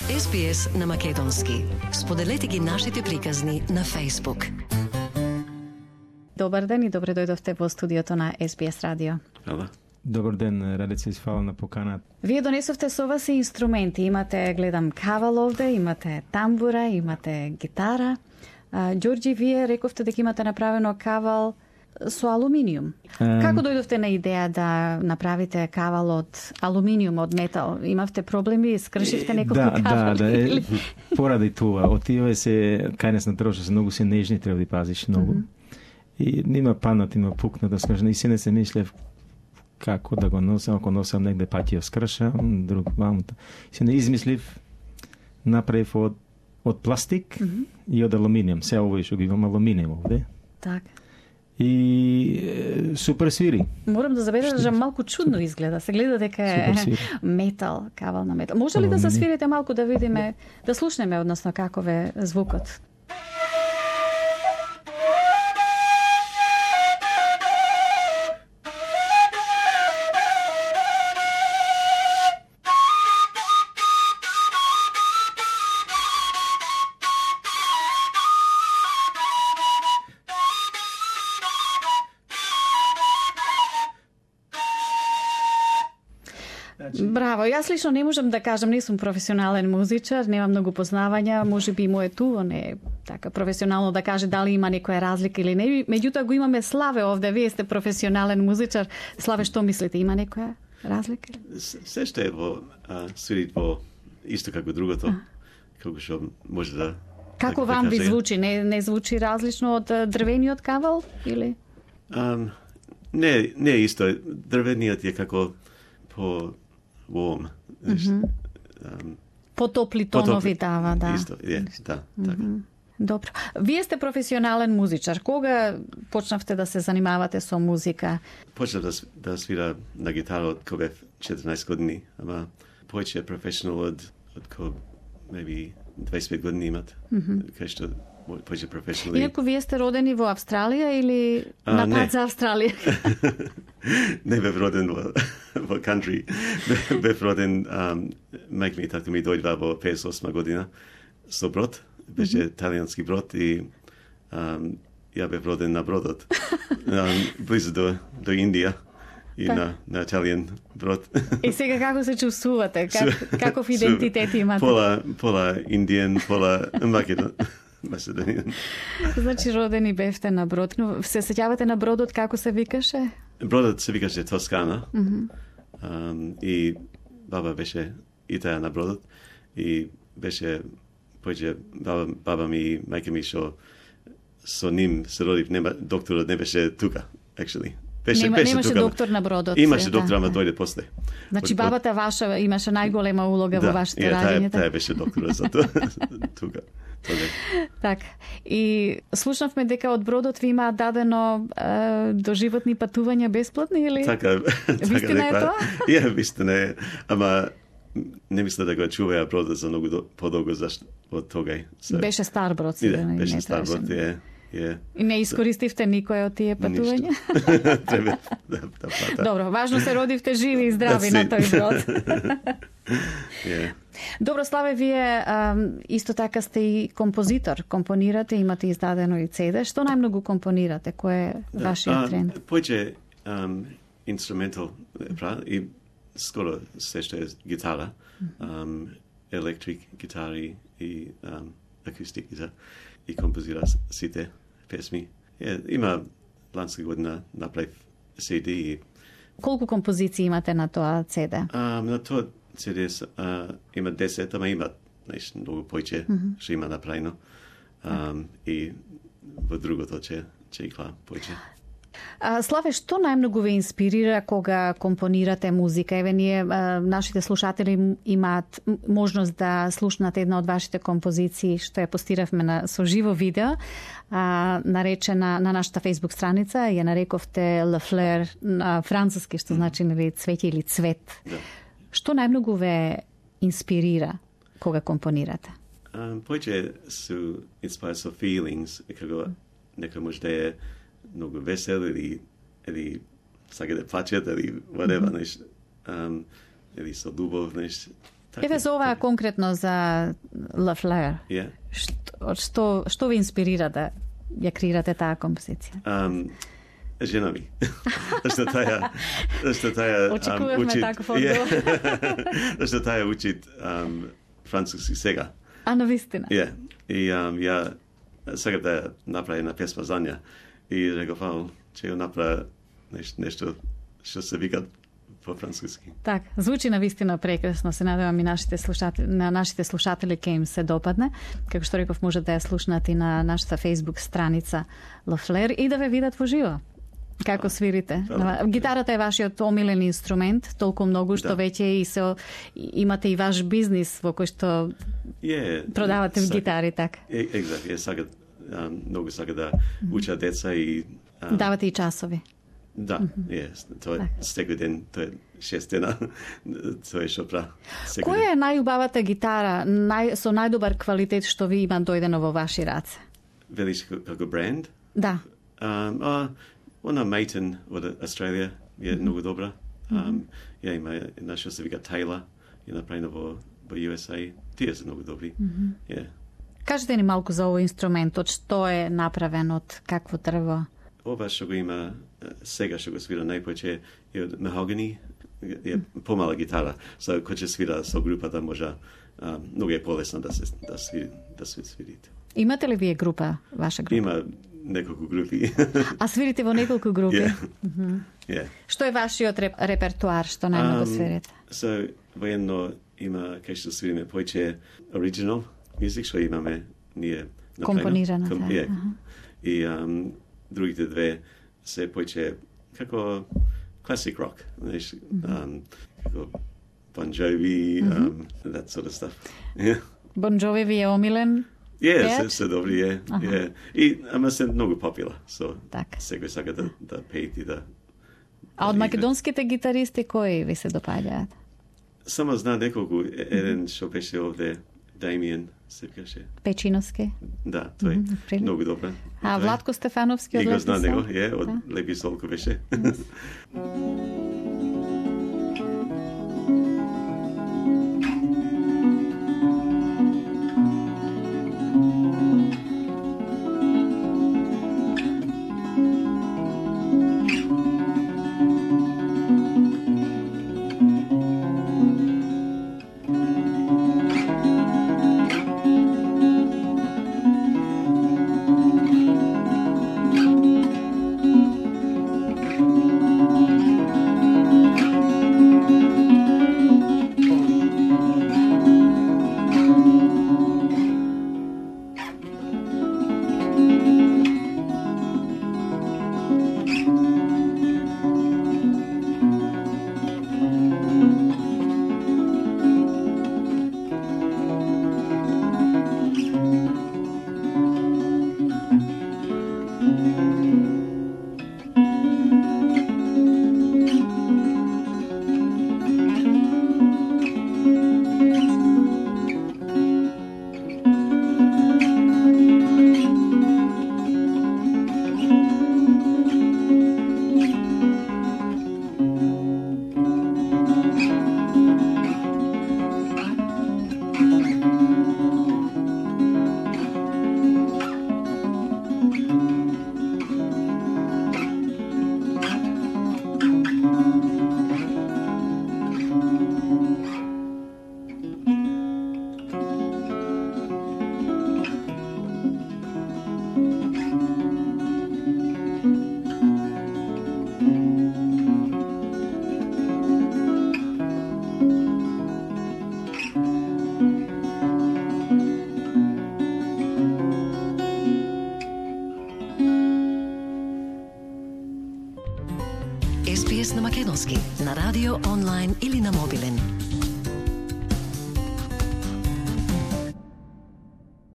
SBS на македонски. Споделете ги нашите приказни на Facebook. Добар ден и добре дојдовте во студиото на SBS радио. Ала. Добар ден, Радица, фала на поканата. Вие донесовте со вас и инструменти. Имате, гледам, кавал овде, имате тамбура, имате гитара. Ѓорѓи, вие рековте дека имате направено кавал со алуминиум. Како дојдовте на идеја да направите кавал од алуминиум, од метал? Имавте проблеми, скршивте неколку кавали? Да. Поради тоа, отивај се, кајнес на троши, многу се нежни, треба да пазиш многу. И нима панат, нима пукнат, да скажем, и се не се мислев како да го носам, ако носам негде пати ја скршам, друг мамута. Се не измислив, направив од пластик и од алуминиум. Се ово што го имам алуминиум овде. Так. И супер свири. Морам да забележам, малку чудно изгледа. Се гледа дека е метал, кавал на метал. Може ли да засвирите малку да видиме, да слушнеме односно каков е звукот? Браво, јас лично не можам да кажам, не сум професионален музичар, немам многу познавања, можеби моето не е така професионално да каже дали има некоја разлика или не. Меѓутоа го имаме Славе овде, вие сте професионален музичар. Славе, што мислите, има некоја разлика? Се што е во свирит во исто како другото, како што може да. Како вам ви звучи? Не звучи различно од дрвениот кавал или? Не исто. Дрвениот е како по warm. Потопли тонови дава, да. Исто, да, така. Добро. Вие сте професионален музичар. Кога почнавте да се занимавате со музика? Почнав да свира на гитара од кога бев 14 години, ама повеќе професионал од кога maybe 25 години имат. Кај што повеќе професионал. Иако вие сте родени во Австралија или на пат за Австралија? Не бев роден во country. Бев роден, мајка ми и татко ми дојдва во 58 година со брод. Беше италијански брод и ја бев роден на бродот. Близо до Индија и на италијан брод. И сега како се чувствувате? Каков идентитет имате? Пола индијан, пола Македонијан. Значи родени бевте на брод. Но се сеќавате на бродот како се викаше? Бродот се викаше Тоскана. И баба беше и таа на бродот. И беше појќе баба ми и мајка ми што со ним се родив, докторот не беше тука, actually. Немаше тука, доктор на бродот. Имаше доктор, ама дојде после. Значи бабата ваша имаше најголема улога во вашето раѓање. Да, таа беше докторот за тоа. Тука. Така. И слушнавме дека од бродот ви има дадено доживотни патувања бесплатни или? Така. Вистина е тоа? Ја, вистина е. Ама не мисля да го чуваја бродот за многу подолго зашто од тогај. Беше стар брод, беше стар брод, И не искористивте никој од тие патувања? Треба да плата. Добро, важно се родивте живи и здрави на тој брод. Добро, Славе, вие исто така сте и композитор. Компонирате, имате издадено и CD. Што најмногу компонирате? Кој е вашиот тренд? Појќе инструментал, и скоро се што е гитара, електрик гитари и акустик гитар, и композира сите песми. Има ланска година направив CD. Колку композиции имате на тоа CD? На тоа CD има 10, ама има многу појќе што има направено. И во другото ќе икла појќе. Славе, што најмногу ве инспирира кога компонирате музика? Еве ние, нашите слушатели имаат можност да слушнат една од вашите композиции, што ја постиравме со живо видео, наречена на нашата Facebook страница, ја нарековте Le Fleur на француски, што значи цвеќе или цвет. Да. Што најмногу ве инспирира кога компонирате? Појќе су inspired со feelings, како некој може да е многу весел или сака да плаче или whatever, или со љубов, Еве за ова конкретно за La Fleur. Yeah. Што ви инспирира да ја креирате таа композиција? Жена ми. Што таја Очекувавме таков одговор. Што таја учит француски сега. А навистина? И ја сега да направи една песма за неа и реков, че ја направи нешто што се вика по француски. Так, звучи навистина прекрасно. Се надевам и на нашите слушатели ќе им се допадне. Како што реков, може да ја слушнат и на нашата Facebook страница La Fleur и да ве видат во живо. Како свирите? Гитарата е вашиот омилен инструмент, толку многу што веќе и имате и ваш бизнис во кој што продавате гитари, така. Екзактно, многу сака да учат деца и давате и часови. Да, тоа е секој ден, тоа е 6 дена, тоа е што пра. Која е најубавата гитара, со најдобар квалитет што ви има дојдено во ваши раце? Велиш како бренд? Да. Она Maton од Австралија е многу добра. Ја има една што се вика Taylor, ја направена во USA. Тие се многу добри. Кажете ни малку за овој инструмент, од што е направен, од какво дрво? Ова што го има сега што го свира најпоќе е од mahogany, е помала гитара. Кој ќе свира со групата може многу е полесно да се свирите. Имате ли вие група, ваша група? Има неколку групи. А свирите во неколку групи? Што е вашиот репертуар, што најмногу свирите? Во едно има кај што свириме појче original music, што имаме ние компонирано. И другите две се појче како classic rock, како Bon Jovi, that sort of stuff. Bon Jovi ви е омилен? Се добри, И ама се многу попула, секој сака да пеет и да... А од македонските гитаристи кои ви се допаѓаат? Само знам неколку, еден што беше овде, Damien, се викаше. Печиновски? Да, тој многу добра. А Владко Стефановски од Лепи Солко? И го знам него, од Лепи Солко беше. SBS на македонски, на радио, онлайн или на мобилен.